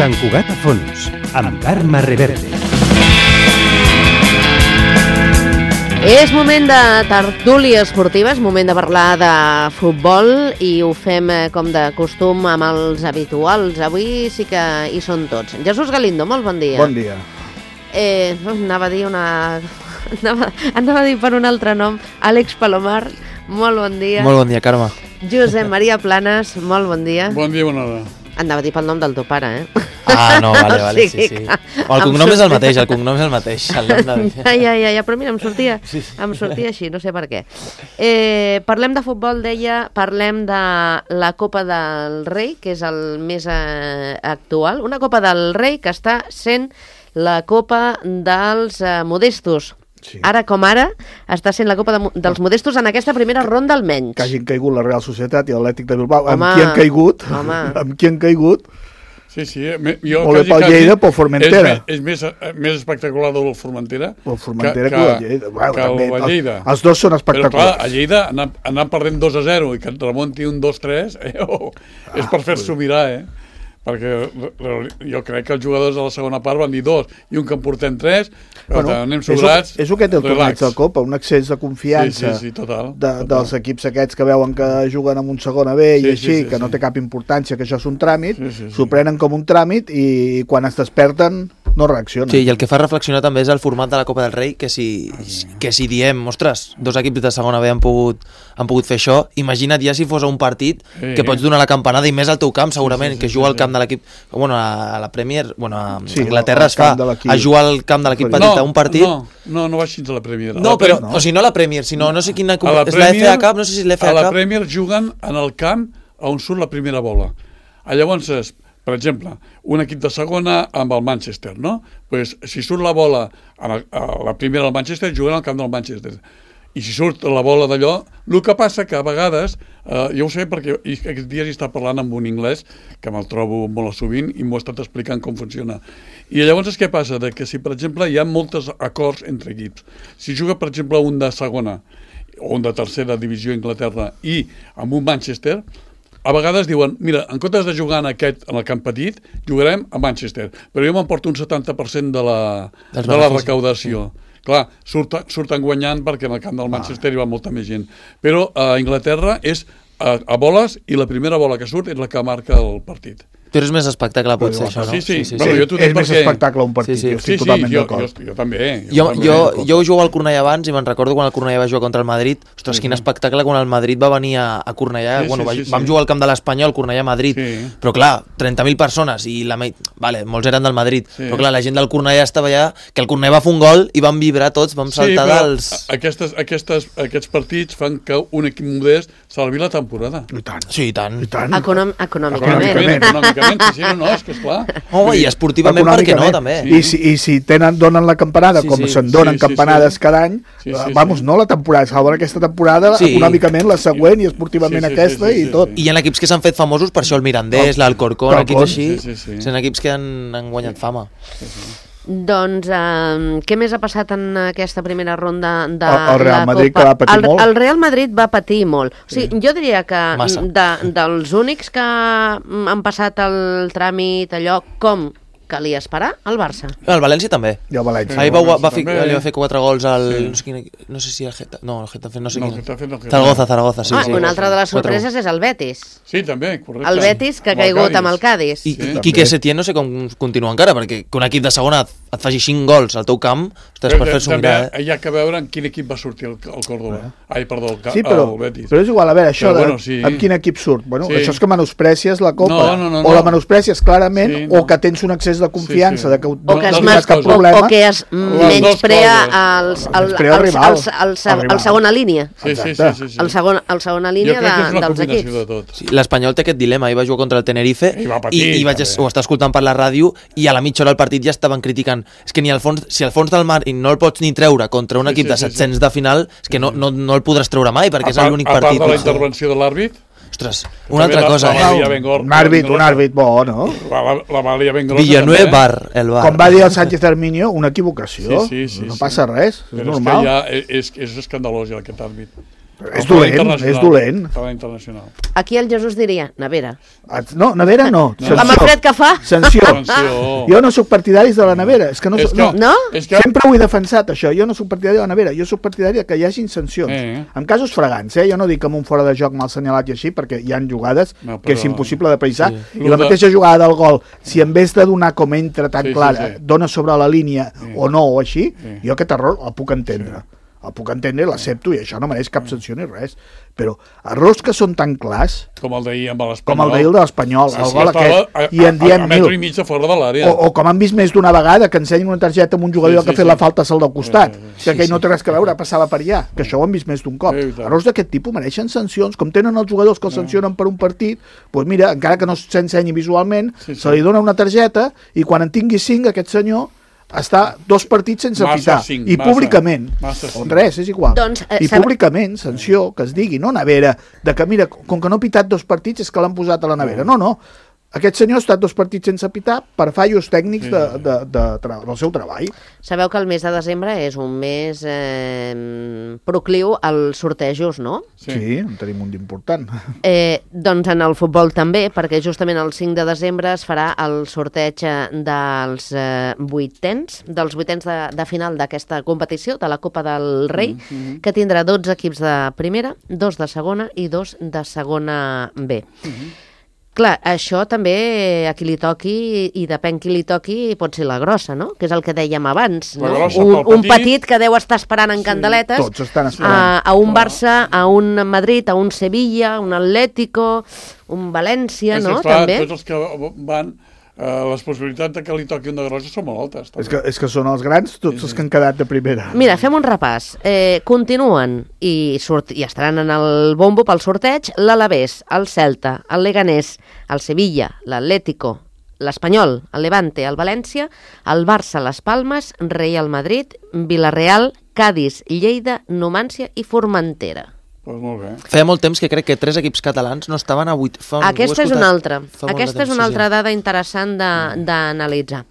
Sant Cugat a fons, amb Carme Reverte. És moment de tertúlia esportiva, és moment de parlar de futbol i ho fem com de costum amb els habituals. Avui sí que hi són tots. Jesús Galindo, molt bon dia. Bon dia. Anava a dir per un altre nom, Àlex Palomar, molt bon dia. Molt bon dia, Carme. Josep Maria Planes, molt bon dia. Bon dia, bona hora. Anava a dir pel nom del teu pare, Ah, no, vale, sí. El cognom és el mateix, el nom de... Ja, però mira, em sortia així, no sé per què. Parlem de futbol, deia, parlem de la Copa del Rei, que és el més actual. Una Copa del Rei que està sent la Copa dels Modestos. Sí. Ara com ara, està sent la Copa dels Modestos en aquesta primera ronda almenys. Que hagin caigut la Real Societat i l'Atlètic de Bilbao. Amb qui han caigut? Amb qui han caigut? Sí. Molt bé pel Lleida, pel Formentera. És més espectacular del Formentera que el Lleida. Que el Lleida. Els dos són espectaculars. Però clar, a Lleida anar perdent 2-0 i que et remonti un 2-3 és per fer-s'ho mirar, perquè jo crec que els jugadors a la segona part van dir 2 i un que en portem 3, però anem sobrats. És el que té el torneig de Copa, un excés de confiança total. Dels equips aquests que veuen que juguen amb un segona B i així, que no té cap importància, que això és un tràmit, s'ho prenen com un tràmit i quan es desperten no reaccionen. Sí, i el que fa reflexionar també és el format de la Copa del Rei, que si diem, ostres, dos equips de segona B han pogut fer això, imagina't ja si fos un partit que pots donar la campanada i més al teu camp, segurament, que juga al camp de l'equip, bueno, a la Premier, bueno, a Anglaterra es fa a jugar al camp de l'equip petit a un partit. No va així a la Premier. No, però, o sigui, no a la Premier, sinó, no sé quina... És la FA Cup, no sé si és la FA Cup. A la Premier juguen en el camp on surt la primera bola. Llavors, per exemple, un equip de segona amb el Manchester, no? Pues, si surt la bola a la primera del Manchester, juguen al camp del Manchester. I si surt la bola d'allò, el que passa que a vegades, jo ho sé perquè aquests dies he estat parlant amb un anglès, que me'l trobo molt sovint, i m'ho ha estat explicant com funciona. I llavors què passa? Que si, per exemple, hi ha molts acords entre equips. Si juga, per exemple, un de segona o un de tercera divisió a Anglaterra i amb un Manchester, a vegades diuen, mira, en comptes de jugar en el camp petit, jugarem a Manchester, però jo m'emporto un 70% de la recaudació. Clar, surten guanyant perquè en el camp del Manchester hi va molta més gent. Però a Anglaterra és a boles i la primera bola que surt és la que marca el partit. Però és més espectacle, potser, això, no? Sí. És més espectacle un partit, jo estic totalment d'acord. Jo també. Jo jugava al Cornellà abans i me'n recordo quan el Cornellà va jugar contra el Madrid. Ostres, quin espectacle quan el Madrid va venir a Cornellà. Vam jugar al camp de l'Espanyol, Cornellà-Madrid. Però clar, 30.000 persones i molts eren del Madrid. Però clar, la gent del Cornellà estava allà, que el Cornellà va fer un gol i vam vibrar tots, vam saltar dels... Aquests partits fan que un equip modest salvi la temporada. I tant. Sí, i tant. Econòmicament, sí, no, és que esclar. I esportivament, perquè no, també. I si donen la campanada, com se'n donen campanades cada any, no la temporada, salven aquesta temporada, econòmicament la següent i esportivament aquesta i tot. I hi ha equips que s'han fet famosos per això, el Mirandés, l'Alcorcón, equips així, són equips que han guanyat fama. Doncs, què més ha passat en aquesta primera ronda de el Real Madrid, Copa? Que va patir molt. El Real Madrid va patir molt. O sigui, jo diria que dels únics que han passat el tràmit, allò, com calia esperar, el Barça. El València també. I el València. Ahir li va fer 4 gols al... No sé si el Getafe... No, el Getafe no sé quin... Zaragoza, sí. Una altra de les sorpreses és el Betis. Sí, també, correcte. El Betis, que ha caigut amb el Cádiz. I Quique Setién no sé com continua encara, perquè que un equip de segona et faci 5 gols al teu camp, ostres, per fer-s'ho mirar, Hi ha que veure en quin equip va sortir el Córdoba. El Betis. Però és igual, a veure, això amb quin equip surt. Això és que menosprècies la Copa. O la menosprècies clarament, o que tens un excés de confiança de que no tens cap problema, o que es menysprea el segona línia. El segona línia dels equips. L'Espanyol té aquest dilema, va jugar contra el Tenerife i ho està escoltant per la ràdio i a la mitja hora del partit ja estaven criticant, és que si al fons del mar no el pots ni treure contra un equip de 700 de final, és que no el podràs treure mai perquè és l'únic partit. A part de la intervenció de l'àrbit, ostres, una altra cosa. Un àrbit bo, no? La valia ben grossa. Villanueva, el bar. Com va dir el Sánchez Arminio, una equivocació. No passa res, és normal. És escandalós ja aquest àrbit. És dolent. Estava internacional. Aquí el Jesús diria, nevera. No, nevera no. Amb el fred que fa. Sanció. Jo no soc partidari de la nevera. És que no? Sempre ho he defensat, això. Jo no soc partidari de la nevera. Jo soc partidari que hi hagin sancions. En casos fragants, jo no dic amb un fora de joc mal assenyalat i així, perquè hi han jugades que és impossible de precisar. I la mateixa jugada del gol, si en vez de donar com entra tan clara, dona sobre la línia o no, o així, jo aquest error el puc entendre. El puc entendre, l'accepto, i això no mereix cap sanció ni res. Però errors que són tan clars... Com el d'ahir amb l'Espanyol. Com el d'ahir de l'Espanyol, el gol aquest. I en diem a metro i mig de fora de l'àrea. O com han vist més d'una vegada, que ensenyen una targeta amb un jugador que ha fet la falta al del costat, que aquell no té res a veure, passava per allà, que això ho han vist més d'un cop. Errors d'aquest tipus mereixen sancions, com tenen els jugadors que els sancionen per un partit, doncs mira, encara que no s'ensenyi visualment, se li dona una targeta i quan en tingui 5 aquest senyor està 2 partits sense pitar, i públicament, o 3, és igual, i públicament, sanció, que es digui, no nevera, de que mira, com que no ha pitat 2 partits és que l'han posat a la nevera, no, aquest senyor ha estat 2 partits sense pitar per fallos tècnics del seu treball. Sabeu que el mes de desembre és un mes procliu als sortejos, no? Sí, en tenim un d'important. Doncs en el futbol també, perquè justament el 5 de desembre es farà el sorteig dels vuitens de final d'aquesta competició, de la Copa del Rei, que tindrà 12 equips de primera, 2 de segona i 2 de segona B. Clar, això també a qui li toqui, i depèn qui li toqui, pot ser la grossa, no? Que és el que dèiem abans, no? Un petit que deu estar esperant en candeletes, tots estan esperant. A un Barça, a un Madrid, a un Sevilla, un Atlético, un València, no? També. Tots els que van... les possibilitats que li toqui una grossa són molt altes. És que són els grans, tots els que han quedat de primera. Mira, fem un repàs. Continuen i estaran en el bombo pel sorteig l'Alavés, el Celta, el Leganés, el Sevilla, l'Atlético, l'Espanyol, el Levante, el València, el Barça, les Palmes, Real Madrid, Villarreal, Cádiz, Lleida, Numància i Formentera. Pues molt bé. Feia molt temps que crec que 3 equips catalans no estaven a 8. Aquesta és una altra. Aquesta és una altra dada interessant d'analitzar.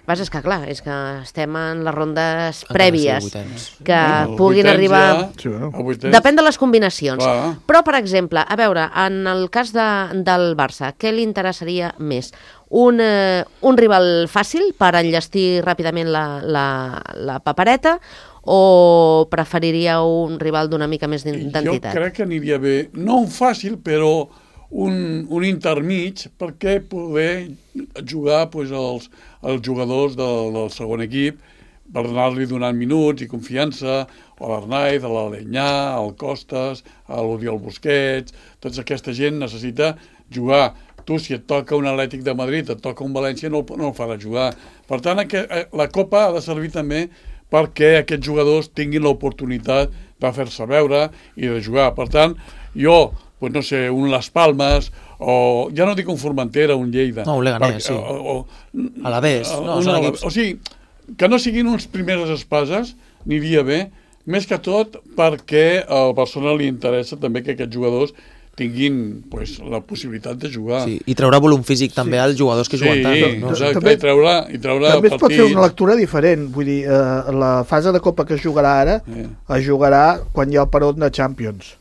És que, clar, és que estem en les rondes prèvies que puguin arribar... Depèn de les combinacions. Però, per exemple, a veure, en el cas del Barça, què li interessaria més? Un rival fàcil per enllestir ràpidament la papereta, o preferiria un rival d'una mica més d'entitat? Jo crec que aniria bé, no un fàcil, però un intermig, perquè poder jugar els jugadors del segon equip, per anar-li donant minuts i confiança, a l'Arnaiz, a l'Alenyà, al Costas, a l'Oriol Busquets, tota aquesta gent necessita jugar. Tu, si et toca un Atlètic de Madrid, et toca un València, no el farà jugar. Per tant, la Copa ha de servir també perquè aquests jugadors tinguin l'oportunitat de fer-se veure i de jugar. Per tant, jo, no sé, un Las Palmes, o ja no dic un Formentera, un Lleida. No, un Leganés, sí. Alavés. O sigui, que no siguin uns primeres espases, aniria bé, més que tot perquè al Barcelona li interessa també que aquests jugadors tinguin la possibilitat de jugar. Sí, i treure volum físic també als jugadors que juguen tant. Sí, exacte, i treure també es pot fer una lectura diferent. Vull dir, la fase de Copa que es jugarà ara es jugarà quan hi ha el peron de Champions.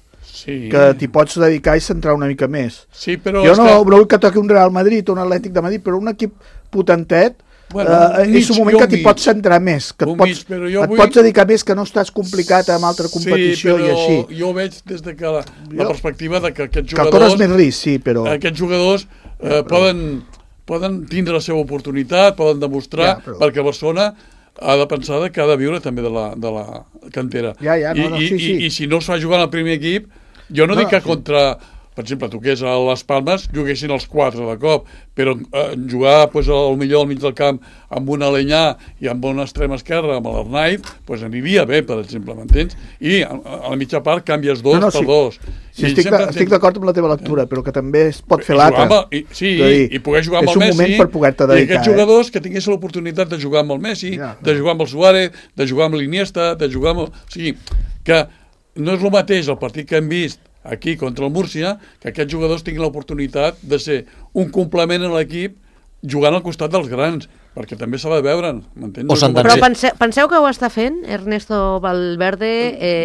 Que t'hi pots dedicar i centrar una mica més. Jo no vull que toqui un Real Madrid o un Atlètic de Madrid, però un equip potentet és un moment que t'hi pots centrar més, que et pots dedicar més, que no estàs complicat amb altra competició i així. Jo ho veig des de la perspectiva de que aquests jugadors... Que corres més risc, sí, però... Aquests jugadors poden tindre la seva oportunitat, poden demostrar, perquè Barcelona ha de pensar que ha de viure també de la cantera. I si no es fa jugar en el primer equip, jo no dic que contra... Per exemple, tu que és a les Palmes, juguessin els 4 de cop, però jugar al millor al mig del camp amb un Alenyà i amb una extrema esquerra, amb l'Arnaiz, aniria bé, per exemple, m'entens? I a la mitja part canvies 2 per 2. Sí, estic d'acord amb la teva lectura, però que també es pot fer l'altra. Sí, i poder jugar amb el Messi. És un moment per poder-te dedicar. I aquests jugadors que tinguessin l'oportunitat de jugar amb el Messi, de jugar amb el Suárez, de jugar amb l'Iniesta, de jugar amb... O sigui, que no és el mateix el partit que hem vist aquí contra el Múrcia, que aquests jugadors tinguin l'oportunitat de ser un complement a l'equip jugant al costat dels grans. perquè també s'ha de veure, m'entens? Però penseu que ho està fent Ernesto Valverde...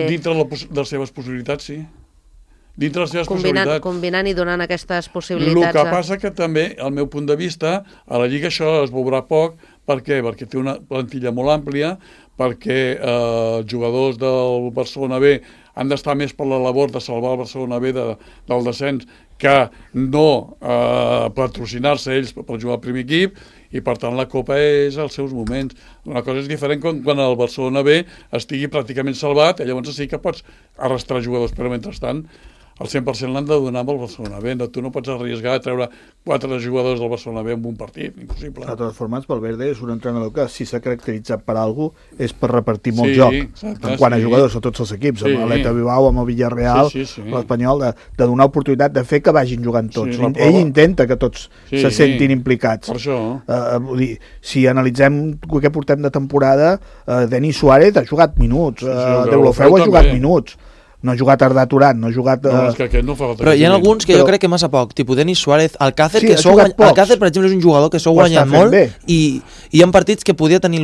Dintre de les seves possibilitats, sí. Dintre les seves possibilitats. Combinant i donant aquestes possibilitats. El que passa que també, al meu punt de vista, a la Lliga això es veurà poc. Per què? Perquè té una plantilla molt àmplia, perquè els jugadors del Barcelona B han d'estar més per la labor de salvar el Barcelona B del descens que no patrocinar-se ells per jugar al primer equip, i per tant la Copa és als seus moments. Una cosa és diferent quan el Barcelona B estigui pràcticament salvat, llavors sí que pots arrastrar jugadors, però mentrestant el 100% l'han de donar amb el Barcelona B. Tu no pots arriesgar a treure 4 jugadors del Barcelona B en un partit, impossible. De totes formes, Valverde és un entrenador que, si s'ha caracteritzat per alguna cosa, és per repartir molt joc. En quant a jugadors a tots els equips, amb l'Atleta Bilbao, amb el Villarreal, l'Espanyol, de donar oportunitat de fer que vagin jugant tots. Ell intenta que tots se sentin implicats. Per això. Vull dir, si analitzem el que portem de temporada, Denis Suárez ha jugat minuts, Deulofeu ha jugat minuts. No ha jugat Arda Turan, no ha jugat... No, és que aquest no fa falta. Però hi ha alguns que jo crec que massa poc, tipus Denis Suárez, Alcácer, que Alcácer, per exemple, és un jugador que s'ha guanyat molt i hi ha partits que podria tenir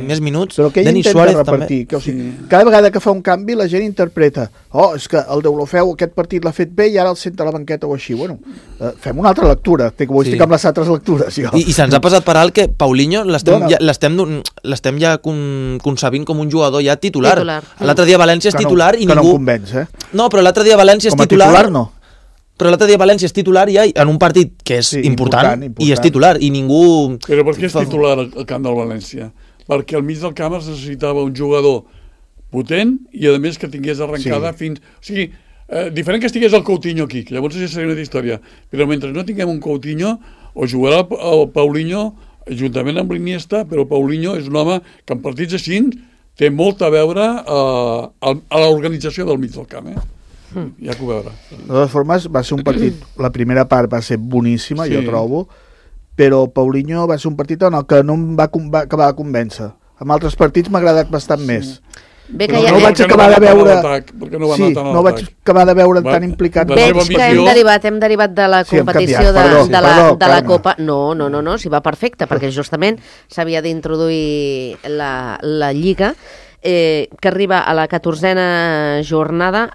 més minuts. Però que ell intenta repartir. Que, o sigui, cada vegada que fa un canvi la gent interpreta és que el Deulofeu aquest partit l'ha fet bé i ara el senta a la banqueta o així. Bueno, fem una altra lectura, que avui estic amb les altres lectures. I se'ns ha passat per alt que Paulinho l'estem ja concebint com un jugador ja titular. L'altre dia València és titular i que ningú... no convenç, No, però l'altre dia València és titular... Com a titular, no. Però l'altre dia València és titular ja en un partit que és important i és titular i ningú... Però per què és titular al camp del València? Perquè al mig del camp es necessitava un jugador potent i a més que tingués arrencada fins... O sigui, diferent que estigués el Coutinho aquí, que llavors ja seria una història, però mentre no tinguem un Coutinho o jugarà el Paulinho juntament amb l'Iniesta, però el Paulinho és un home que en partits així té molt a veure a l'organització del mig del camp, ja que ho veurà. De totes formes, va ser un partit, la primera part va ser boníssima, jo trobo, però Paulinho va ser un partit en el que no em va acabar de convèncer. En altres partits m'ha agradat bastant més. Bé que no vaig acabar de veure... no vaig acabar de veure tan implicat. Veig que hem derivat de la competició de la Copa. No, s'hi va perfecte, perquè justament s'havia d'introduir la Lliga, que arriba a la 14a jornada,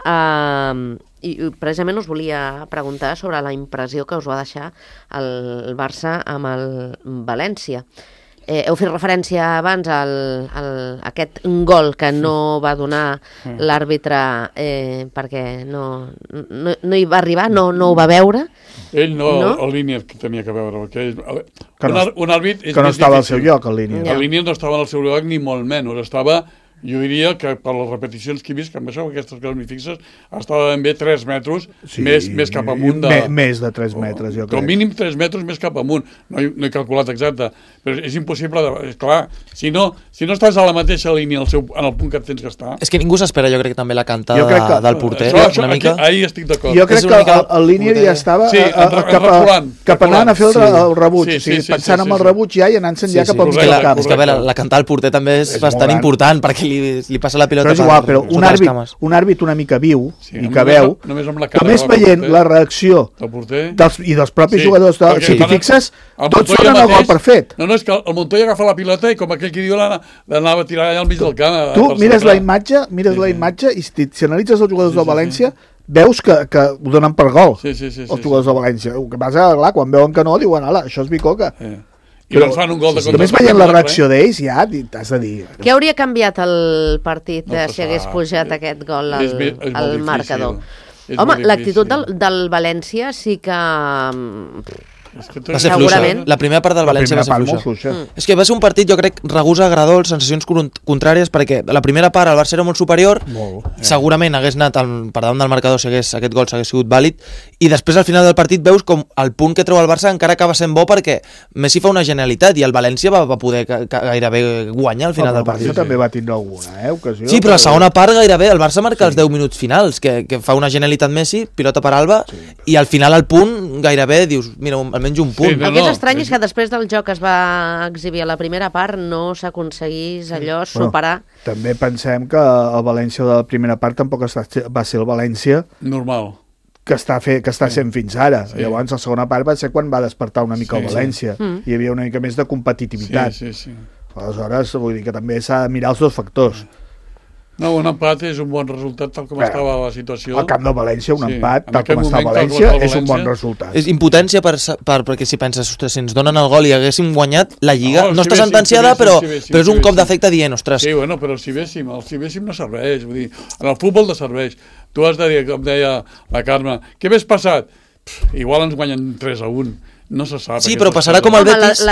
i precisament us volia preguntar sobre la impressió que us va deixar el Barça amb el València. Heu fet referència abans a aquest gol que no va donar l'àrbitre perquè no hi va arribar, no ho va veure. Ell no, el Línier que tenia que veure, perquè un àrbit és que no estava al seu lloc, el Línier. El Línier no estava al seu lloc ni molt menys, estava... Jo diria que per les repeticions que he vist, que amb això aquestes coses ni fixes, estava ben bé 3 metres més cap amunt. Més de 3 metres, jo crec. Com mínim 3 metres més cap amunt. No he calculat exacte, però és impossible. Clar, si no estàs a la mateixa línia en el punt que et tens que estar... És que ningú s'espera, jo crec, també la cantada del porter. Ahí estic d'acord. Jo crec que el Línier ja estava cap anant a fer el rebuig. Pensant en el rebuig ja i anant-se'n ja cap al mig del camp. És que la cantada del porter també és bastant important, perquè li passa la pilota. Però és igual, però un àrbit una mica viu i que veu, només veient la reacció i dels propis jugadors, si t'hi fixes, tots donen el gol perfet. No, és que el Montoya agafa la pilota i com aquell que diu l'anava a tirar allà al mig del camp. Tu mires la imatge i si analitzes els jugadors del València veus que ho donen per gol els jugadors del València. El que passa, clar, quan veuen que no, diuen, ala, això és bicoca. Però fan un gol de només veient la reacció d'ells ja t'has de dir... Què hauria canviat el partit si hagués pujat aquest gol al marcador? Home, l'actitud del València sí que... Va ser fluixa. La primera part del València va ser fluixa. És que va ser un partit, jo crec, regús agradol, sensacions contràries, perquè la primera part el Barça era molt superior, segurament hagués anat per davant del marcador si aquest gol s'hagués sigut vàlid, i després al final del partit veus com el punt que treu el Barça encara acaba sent bo perquè Messi fa una genialitat i el València va poder gairebé guanyar al final del partit. El Barça també va tindre alguna ocasió. Sí, però la segona part gairebé el Barça marca els 10 minuts finals, que fa una genialitat Messi, pilota per Alba, i al final al punt gairebé dius, mira, almenys un punt. El que és estrany és que després del joc que es va exhibir a la primera part no s'aconseguís allò superar. També pensem que el València de la primera part tampoc va ser el València normal que està sent fins ara. Llavors, la segona part va ser quan va despertar una mica el València. Hi havia una mica més de competitivitat. Aleshores, vull dir que també s'ha de mirar els dos factors. No, un empat és un bon resultat tal com estava la situació. Al camp de València, un empat, tal com està València, és un bon resultat. És impotència perquè si penses, ostres, si ens donen el gol i haguéssim guanyat, la Lliga no està sentenciada, però és un cop d'efecte dient, ostres... Sí, bueno, però si véssim no serveix. Vull dir, en el futbol no serveix. Tu has de dir, com deia la Carme, què hagués passat? Igual ens guanyen 3-1. No se sap. Sí, però passarà com el Betis...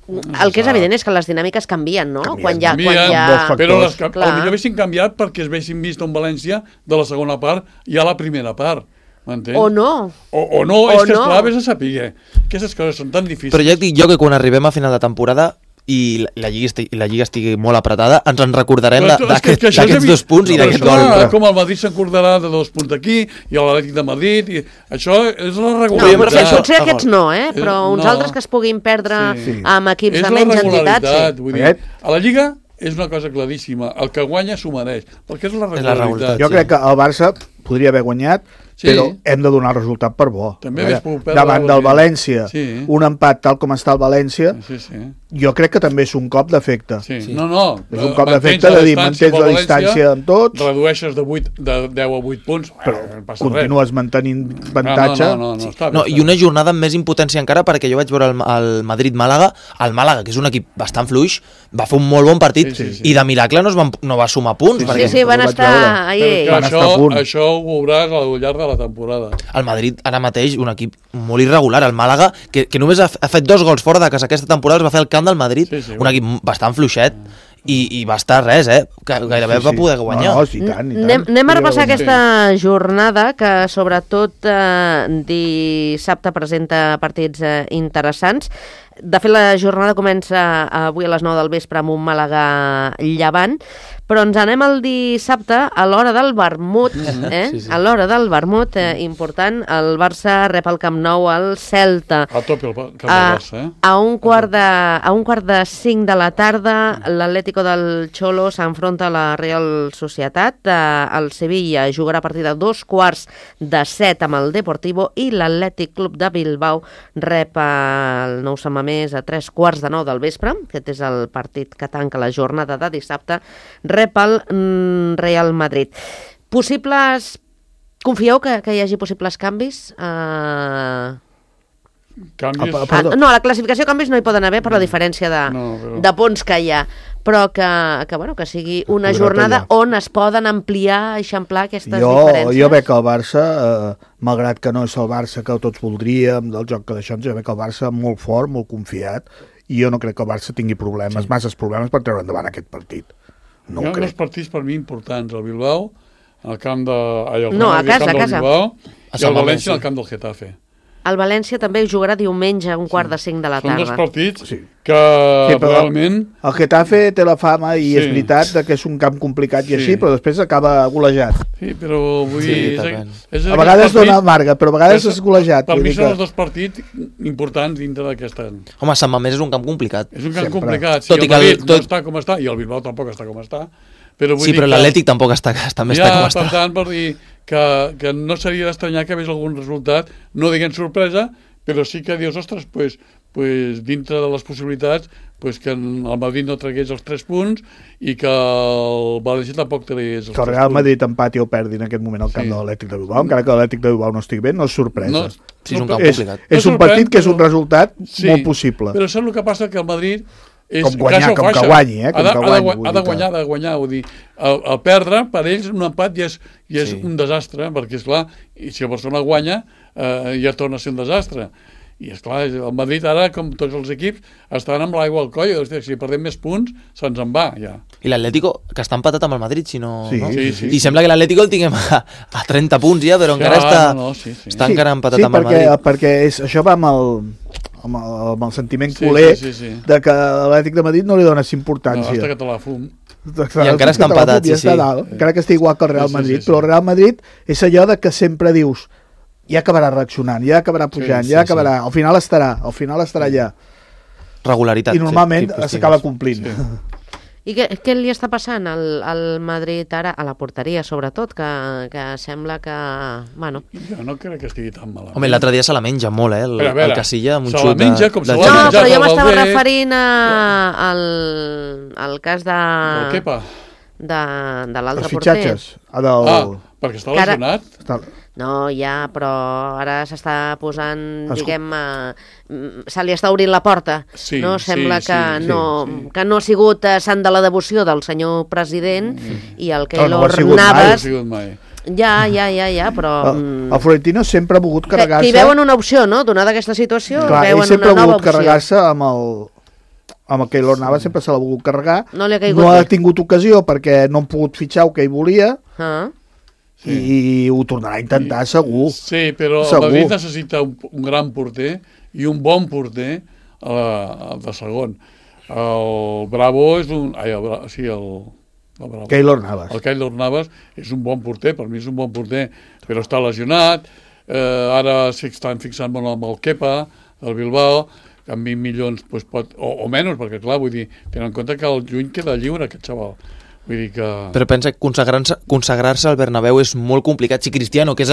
El que és evident és que les dinàmiques canvien, no? Canvien, però potser haguessin canviat perquè es haguessin vist un València de la segona part i a la primera part. M'entens? O no. O no, és que esclar, vés a saber. Aquestes coses són tan difícils. Però ja et dic jo que quan arribem a final de temporada i la Lliga estigui molt apretada, ens en recordarem d'aquests 2 punts i d'aquest gol. Com el Madrid s'acordarà de 2 punts d'aquí i l'Atlètic de Madrid, i això és la regularitat. No, potser aquests no, però uns altres que es puguin perdre amb equips de menys entitats. Vull dir, a la Lliga és una cosa claríssima, el que guanya s'ho mereix, perquè és la regularitat. Jo crec que el Barça podria haver guanyat, però hem de donar el resultat per bo. Davant del València, un empat tal com està el València, jo crec que també és un cop d'efecte. És un cop d'efecte de dir, mantens la distància amb tots, redueixes de 10 a 8 punts, però continues mantenint avantatge. I una jornada amb més impotència encara, perquè jo vaig veure el Madrid-Màlaga, el Màlaga, que és un equip bastant fluix, va fer un molt bon partit i de miracle no va sumar punts. Sí, van estar a punt. Això ho veuràs al llarg de la temporada. El Madrid ara mateix, un equip molt irregular. El Màlaga, que només ha fet 2 gols fora de casa aquesta temporada, es va fer el camp del Madrid, un equip bastant fluixet, i va estar res, que gairebé va poder guanyar. I tant. Anem a repassar aquesta jornada, que sobretot dissabte presenta partits interessants. De fet, la jornada comença avui a les 9 del vespre amb un Màlaga-Llevant, però ens anem al dissabte a l'hora del vermut, a l'hora del vermut, important, el Barça rep al Camp Nou al Celta. A tope el Camp del Barça, A un quart de 5 de la tarda, l'Atlético del Cholo s'enfronta a la Real Societat, el Sevilla jugarà a partir de 2:15 amb el Deportivo, i l'Atlètic Club de Bilbao rep el Nou Sant Mamés a 3:15 del vespre. Aquest és el partit que tanca la jornada de dissabte. Rep el Real Madrid. Confieu que hi hagi possibles canvis? Canvis? No, a la classificació canvis no hi poden haver per la diferència de punts que hi ha, però que sigui una jornada on es poden ampliar, eixamplar aquestes diferències. Jo veig que el Barça, malgrat que no és el Barça que tots voldríem, del joc que d'això, jo veig que el Barça molt fort, molt confiat, i jo no crec que el Barça tingui masses problemes per treure endavant aquest partit. Hi ha uns partits per mi importants, el Bilbao, al camp de... a casa. Bilbao, i el València al camp del Getafe. El València també jugarà diumenge a 4:45 de la tarda. Són 2 partits que realment... El Getafe té la fama, i és veritat, que és un camp complicat i així, però després acaba golejat. Sí, però vull dir... A vegades dona amarga, però a vegades és golejat. Per mi són els 2 partits importants dintre d'aquesta... Home, Sant Mamés és un camp complicat. És un camp complicat. Si el Madrid no està com està, i el Bilbao tampoc està com està, però l'Atlètic tampoc està com està. Per tant, per dir que no seria d'estranyar que hagués algun resultat, no diguem sorpresa, però sí que dius, ostres, pues dintre de les possibilitats, que el Madrid no tragués els 3 punts i que el València tampoc tragués els 3 punts. Que el Real Madrid empati o perdi en aquest moment al camp de l'Atlètic de Bilbao, encara que l'Atlètic de Bilbao no estigui bé, no és sorpresa. És un camp complicat. És un partit que és un resultat molt possible. Però saps el que passa? Que el Madrid com que guanyi, ha de guanyar, vull dir, el perdre per ells un empat ja és un desastre, perquè esclar, i si el Barcelona guanya ja torna a ser un desastre, i esclar, el Madrid ara, com tots els equips, estan amb l'aigua al coll, si perdem més punts se'ns en va ja. I l'Atlético, que està empatat amb el Madrid, si no... Sí. I sembla que l'Atlético el tinguem a 30 punts ja, però encara està encara empatat amb el Madrid. Sí, perquè això va amb el sentiment culer de que l'Atlètic de Madrid no li dones importància. No, està que te la fum. I encara està empatat, encara que estigui igual que el Real Madrid, però el Real Madrid és allò de que sempre dius ja acabarà reaccionant, ja acabarà pujant, ja acabarà, al final estarà allà. Regularitat. I normalment s'acaba complint. I què li està passant al Madrid ara, a la porteria sobretot, que sembla que... Bueno. Jo no crec que estigui tan malament. Home, l'altre dia se la menja molt, el Casilla, amb un xut. Se la menja com se la menja. No, però jo m'estava referint al cas de... El Kepa? De l'altre porter. Els fitxatges. Perquè està lesionat? No, ja, però ara s'està posant, se li està obrint la porta. No? Sembla que no ha sigut sant de la devoció del senyor president i el Keylor Navas... Ja, però... El Florentino sempre ha volgut carregar-se... Que hi veuen una opció, no?, donada aquesta situació, veuen una nova opció. Ell sempre ha volgut carregar-se amb el Keylor Navas, sempre se l'ha volgut carregar. No ha tingut ocasió perquè no han pogut fitxar el que hi volia... i ho tornarà a intentar segur. Sí, però el Madrid necessita un gran porter i un bon porter de segon. El Bravo és un... el Keylor Navas. El Keylor Navas és un bon porter, per mi és un bon porter, però està lesionat. Ara s'estan fixant molt amb el Kepa, del Bilbao, que amb 20 milions pot, o menys, perquè clar, vull dir, tenen en compte que el juny queda lliure aquest xaval. Vull dir que... Però pensa que consagrar-se al Bernabéu és molt complicat. Si Cristiano, que és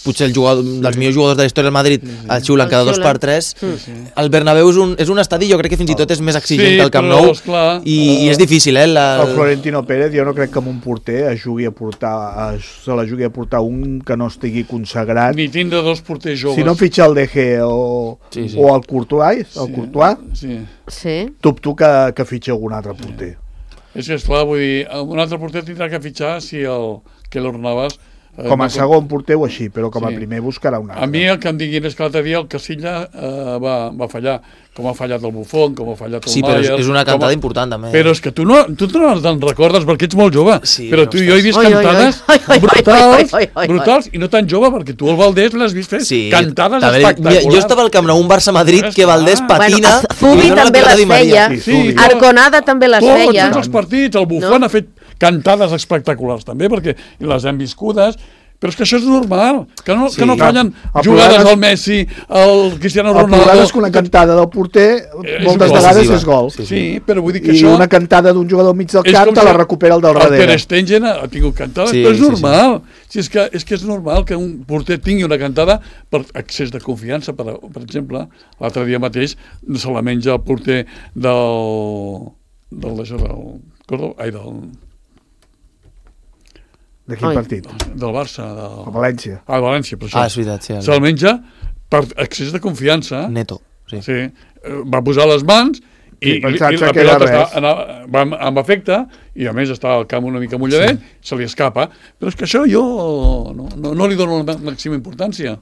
potser el jugador dels millors jugadors de la història del Madrid, el xiulen cada 2 per 3, el Bernabéu és un estadi, jo crec que fins i tot és més exigent que el Camp Nou, i és difícil, El Florentino Pérez, jo no crec que amb un porter se la jugui a portar un que no estigui consagrat. Ni tindre 2 porters joves. Si no fitxa el DG o el Courtois, dubto que fitxa algun altre porter. És que, esclar, vull dir, un altre porter tindrà que fitxar si el Keylor Navas... Com a segon porter o així, però com a primer buscarà un altre. A mi el que em diguin és que l'altre dia el Casilla va fallar, com ha fallat el Buffon, com ha fallat el Neuer... Sí, però és una cantada important, també. Però és que tu no te'n recordes perquè ets molt jove, però tu i jo he vist cantades brutals i no tan jove, perquè tu el Valdés l'has vist fer cantades espectaculars. Jo estava al Camp Nou, un Barça-Madrid, que Valdés patina... Zubi també les feia, Arconada també les feia. Tots els partits, el Buffon ha fet cantades espectaculars també, perquè les hem viscudes, però és que això és normal, que no fallen jugades al Messi, al Cristiano Ronaldo... El problema és que una cantada del porter moltes vegades és gol. Sí, però vull dir que això... I una cantada d'un jugador mig del camp te la recupera el del darrere. El Ter Stegen ha tingut cantades, però és normal. És que és normal que un porter tingui una cantada per excés de confiança. Per exemple, l'altre dia mateix se la menja el porter de quin partit? Del Barça. El València. El València, per això. És veritat, sí. Se'l menja per excés de confiança. Neto, sí. Va posar les mans i la pilota està amb efecte i a més està al camp una mica mulladet, se li escapa. Però és que això jo no li dono la màxima importància.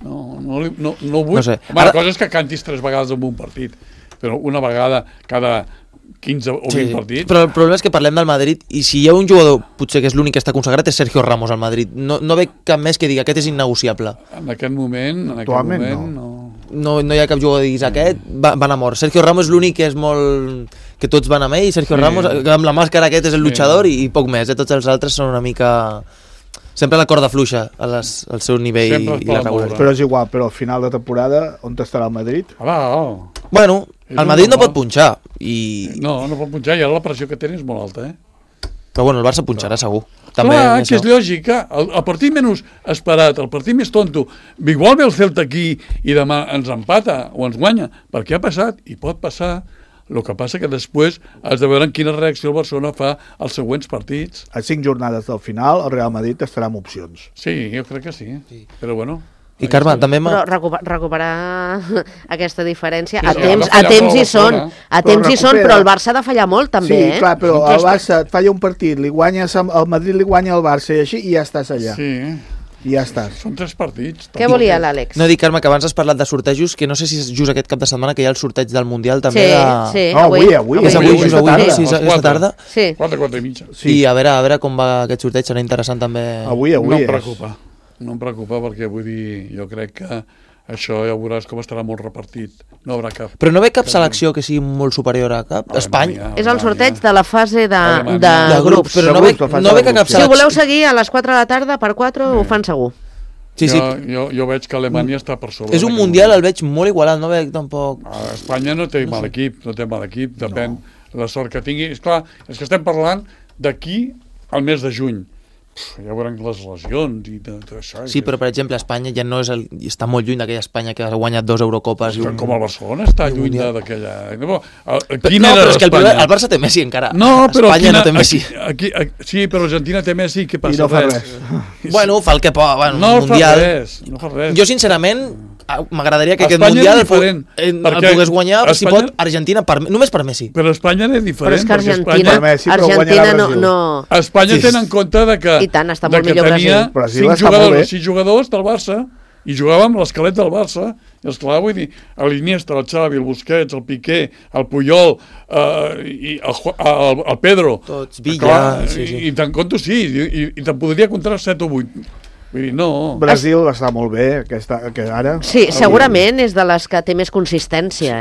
No ho vull. La cosa és que cantis 3 vegades en un partit, però una vegada cada 15 o 20 partits. Però el problema és que parlem del Madrid i si hi ha un jugador, potser que és l'únic que està consagrat, és Sergio Ramos al Madrid. No ve cap més que digui aquest és innegociable. En aquest moment no hi ha cap jugador que diguis aquest van a mort. Sergio Ramos és l'únic que és molt... que tots van amb ell, Sergio Ramos amb la màscara aquest és el luchador i poc més, tots els altres són una mica... Sempre la corda fluixa al seu nivell i la regularitat. Però és igual, però al final de temporada on estarà el Madrid? Bueno, el Madrid no pot punxar no pot punxar i ara la pressió que tenen és molt alta, però bueno, el Barça punxarà segur. Clar, que és lògic, el partit menys esperat, el partit més tonto, igual ve el Celta aquí i demà ens empata o ens guanya, perquè ha passat i pot passar. El que passa que després has de veure en quina reacció el Barcelona fa als següents partits. A 5 jornades del final el Real Madrid estarà amb opcions. Sí, jo crec que sí. Però bueno... I Carme, també... Però recuperar aquesta diferència a temps hi són. A temps hi són, però el Barça ha de fallar molt, també, Sí, clar, però el Barça et falla un partit, el Madrid li guanya al Barça i així, i ja estàs allà. Sí. I ja estàs. Són 3 partits. Què volia l'Àlex? No, dic, Carme, que abans has parlat de sortejos, que no sé si és just aquest cap de setmana que hi ha el sorteig del Mundial també Sí, avui. És avui, aquesta tarda. Sí. 4 i mitja. I a veure com va aquest sorteig, serà interessant també. Avui No em preocupa perquè vull dir, jo crec que això ja veuràs com estarà molt repartit. No haurà cap. Però no ve cap selecció que sigui molt superior a cap? Espanya? És el sorteig de la fase de grups. Però no ve que cap selecció. Si voleu seguir a les 4 de la tarda, per 4 ho fan segur. Jo veig que Alemanya està per sobre. És un mundial, el veig molt igualat, no veig tampoc... Espanya no té mal equip, depèn. la sort que tingui. Esclar, és que estem parlant d'aquí al mes de juny. Ja veurem les lesions i tot això. Sí, però per exemple Espanya ja no és està molt lluny d'aquella Espanya que ha guanyat 2 Eurocopes. Com el Barcelona està lluny d'aquella... No, però és que el Barça té Messi encara. No, però Espanya no té Messi. Sí, però Argentina té Messi, què passa? I no fa res. Bueno, fa el que pot. No fa res. Jo sincerament m'agradaria que aquest Mundial el pogués guanyar, si pot, Argentina, només per Messi. Però Espanya és diferent. Però és que Argentina no... Espanya tenen en compte que i tant, està molt millor Brasil. Tenia 6 jugadors del Barça i jugàvem l'esquelet del Barça. I esclar, vull dir, l'Iniesta, el Xavi, el Busquets, el Piqué, el Puyol, i el Pedro. Tots, Villa... I te'n conto, sí, i te'n podria comptar 7 o 8. Vull dir, no... Brasil està molt bé, que ara... Sí, segurament és de les que té més consistència,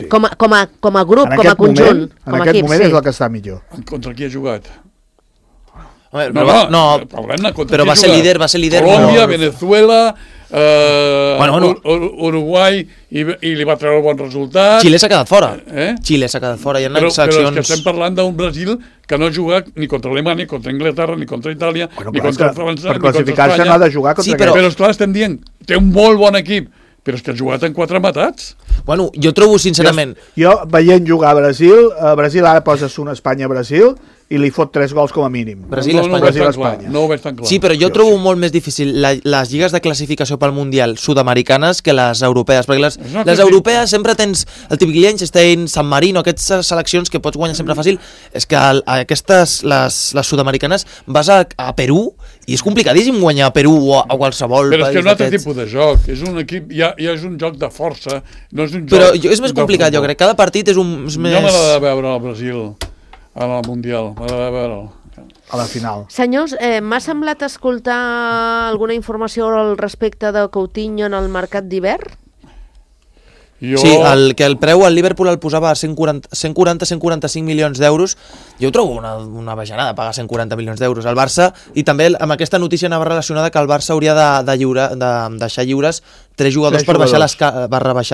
com a grup, com a conjunt. En aquest moment és el que està millor. Contra qui ha jugat? Però va ser líder. Colòmbia, Venezuela... Uruguai i li va treure bon resultat. Xile s'ha quedat fora. Xile s'ha quedat fora. Però és que estem parlant d'un Brasil que no ha jugat ni contra Alemanya, ni contra Anglaterra, ni contra Itàlia, ni contra França, per classificar-se no ha de jugar contra però esclar, estem dient, té un molt bon equip, però és que ha jugat en 4 matats. Bueno, jo trobo sincerament... Jo veient jugar a Brasil ara poses un Espanya-Brasil i li fot 3 gols com a mínim. Brasil-Espanya. No ho veig tan clar. Sí, però jo trobo molt més difícil les lligues de classificació pel Mundial sud-americanes que les europees, perquè les europees sempre tens el típic Liechtenstein, San Marino, aquestes seleccions que pots guanyar sempre fàcil. És que aquestes, les sud-americanes, vas a Perú i és complicadíssim guanyar a Perú o a qualsevol país. Però és que és un altre tipus de joc, és un equip, ja és un joc de força, no és un joc... Però és més complicat, jo crec, cada partit és més... Jo m'agrada veure el Brasil al Mundial, m'agrada veure'l. A la final. Senyors, m'ha semblat escoltar alguna informació al respecte de Coutinho en el mercat d'hivern? Sí, que el preu al Liverpool el posava a 140-145 milions d'euros. Jo ho trobo una bajanada pagar 140 milions d'euros al Barça, i també amb aquesta notícia anava relacionada que el Barça hauria de deixar lliures 3 jugadors per rebaixar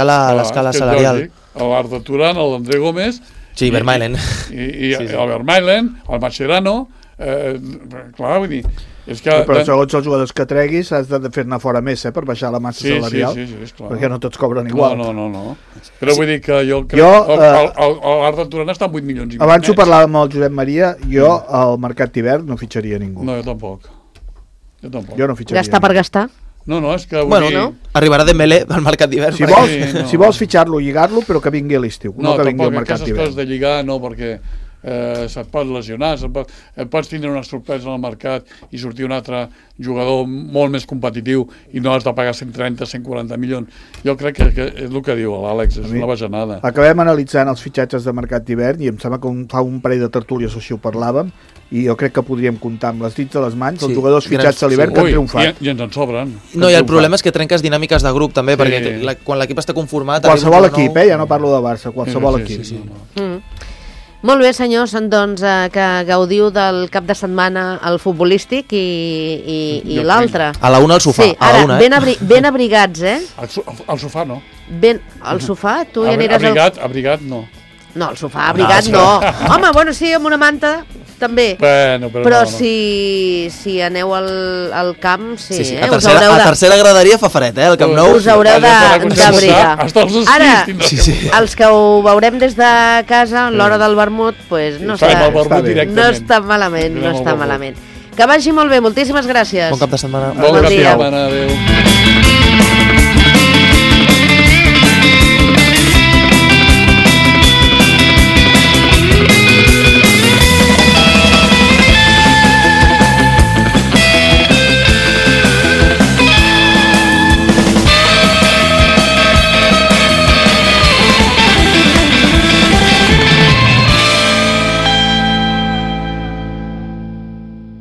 l'escala salarial. L'Arda Turan, l'André Gómez... Sí, Vermaelen. I el Vermaelen, el Mascherano, clar, vull dir... Però segons els jugadors que treguis has de fer-ne fora més, per baixar la massa salarial, perquè no tots cobren igual. No. Però vull dir que jo crec que l'Arda Turan està en 8 milions i mig. Abans ho parlàvem amb el Josep Maria, jo al mercat d'hivern no fitxaria ningú. No, jo tampoc. Jo no fitxaria. Gastar per gastar? No, és que... Arribarà Dembélé al mercat d'hivern. Si vols fitxar-lo, lligar-lo, però que vingui a l'estiu, no que vingui al mercat d'hivern. No, tampoc aquestes coses de lligar, no, perquè se't pot lesionar, pots tindre una sorpresa al mercat i sortir un altre jugador molt més competitiu i no has de pagar 130-140 milions. Jo crec que és el que diu l'Àlex, és una bajanada. Acabem analitzant els fitxatges de mercat d'hivern i em sembla que fa un parell de tertúlies així ho parlàvem, i jo crec que podríem comptar amb les dits de les mans els jugadors fitxats a l'hivern que han triomfat. I ens en sobren. No, i el problema és que trenques dinàmiques de grup també, perquè quan l'equip està conformat... Qualsevol equip, ja no parlo de Barça, qualsevol equip. Molt bé, senyors, doncs que gaudiu del cap de setmana al futbolístic i l'altre. A la una al sofà. Sí, ara, ben abrigats, Al sofà no. Al sofà? Tu ja aniràs... Abrigat no. No, al sofà, abrigat no. Home, bueno, sí, amb una manta també. Però si aneu al camp, sí. A tercera graderia fa fred, al Camp Nou. Us haureu d'abrigar. Ara, els que ho veurem des de casa, a l'hora del vermut, no està malament. Que vagi molt bé, moltíssimes gràcies. Bon cap de setmana. Bon cap de setmana, adéu.